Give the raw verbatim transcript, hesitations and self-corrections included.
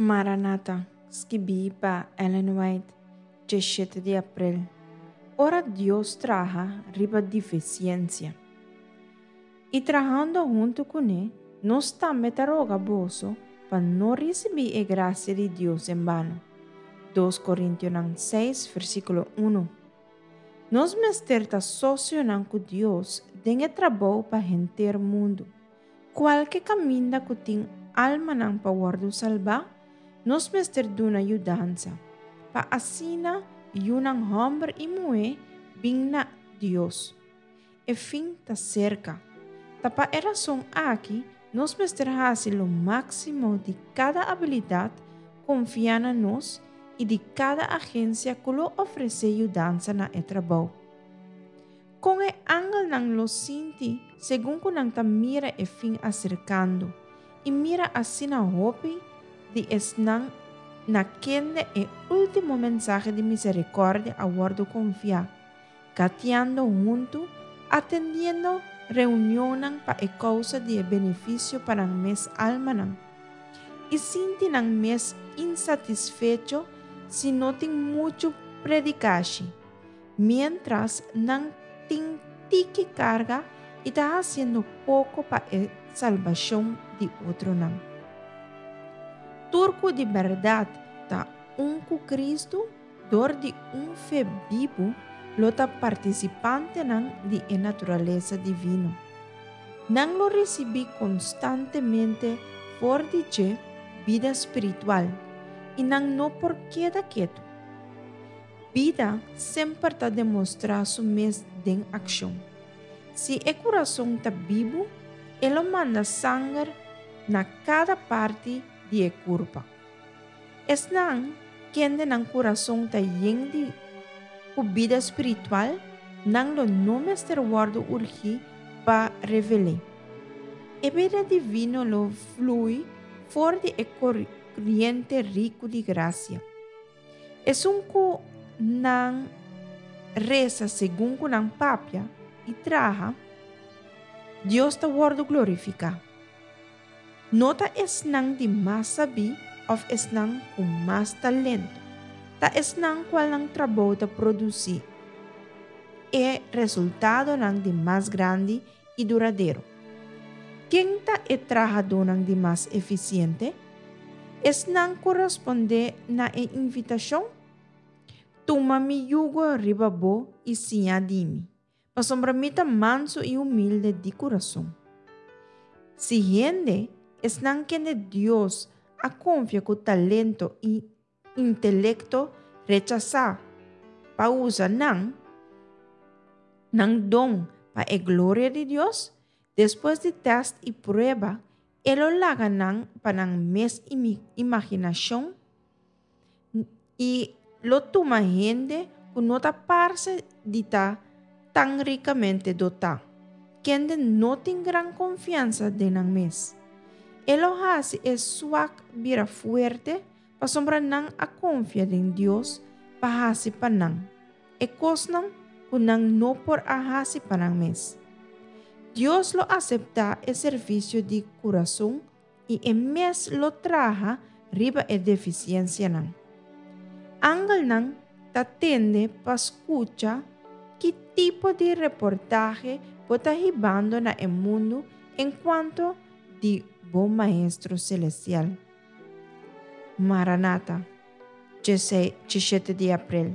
Maranata, skibí pa Ellen White, diesshete di aprel. Ora Dios traha riba defisiensia. I trahando huntu kuné, nos tambe ta roga boso pa no risibí e grasia di Dios en bano. Dos Korintionan seis, versíkulo un. Nos mester ta sosionan ku Dios den e trabou pa henter mundu. Kualke kaminda ku tin almanan pa wòrdu salbá, nos mester duna yudansa, pa asina yunan hòmber i muhé bin na Dios. E fin ta serka. Ta pa e rason aki nos mester hasi lo máksimo di kada abilidat konfiá na nos i di kada agensia ku lo ofresé yudansa na e trabou. Kon e angelnan lo sinti segun ku nan ta mira e fin aserkando i mira asina hopi di esnan na kende e último mensahe di miserikòrdia a wòrdu konfiá, gatiando huntu, atendiendo reunionnan pa e kousa di e benefisio pa nan mes almanan, i sinti nan mes insatisfecho si no tin muchu predikashi, miéntras nan tin tiki karga i ta hasiendo poko pa e salbashon di otronan. Tur ku di bèrdat ta un ku Kristu dor di un fe bibu lo ta partisipantenan di e naturalesa divino. Nan lo risibí konstantemente for di dje bida spiritual i nan no por keda ketu. Bida semper ta demostrá su mes den akshon. Si e kurason ta bibu, e lo manda sanger na kada parti di e kurpa. Esnan kende nan kurason ta yen di ku bida spiritual, nan lo no mester wòrdu urgí pa revel'é. E bida divino lo flui for di e koriente riku di grasia. Esun ku nan resa segun ku nan papia i traha, Dios ta wòrdu glorifiká. No ta esnan di mas sabí òf esnan ku mas talento, ta esnan kual nan trabou ta produsí e resultadonan di mas grandi i duradero. Ken ta e trahadónan di mas efisiente? Esnan ku respondé na e invitashon, Tuma mi yugo riba bo i siña di mi, pasobra mi ta mansu i humilde di kurason. Si hende, esnan kende Dios a konfia ku talento i intelekto, rechasá pa usa nan nan don pa e gloria di Dios, despues di tèst i prueba, e lo laga nan pa nan mes imaginashon i lo tuma hende ku no ta parse di ta tan rikamente dotá, kende no tin gran konfiansa den nan mes. E lo hasi e suak bira fuerte pasobra nan a konfia den Dios pa hasi pa nan e kosnan ku nan no por a hasi pa nan mes. Dios lo aseptá e servisio di kurason i e mes lo traha riba e defisiensianan. Angelnan ta tende pa skucha ki tipo di reportahe bo ta hibando na e mundu enkuanto di bo Maestro Selestial. Maranata, diesshete di aprel.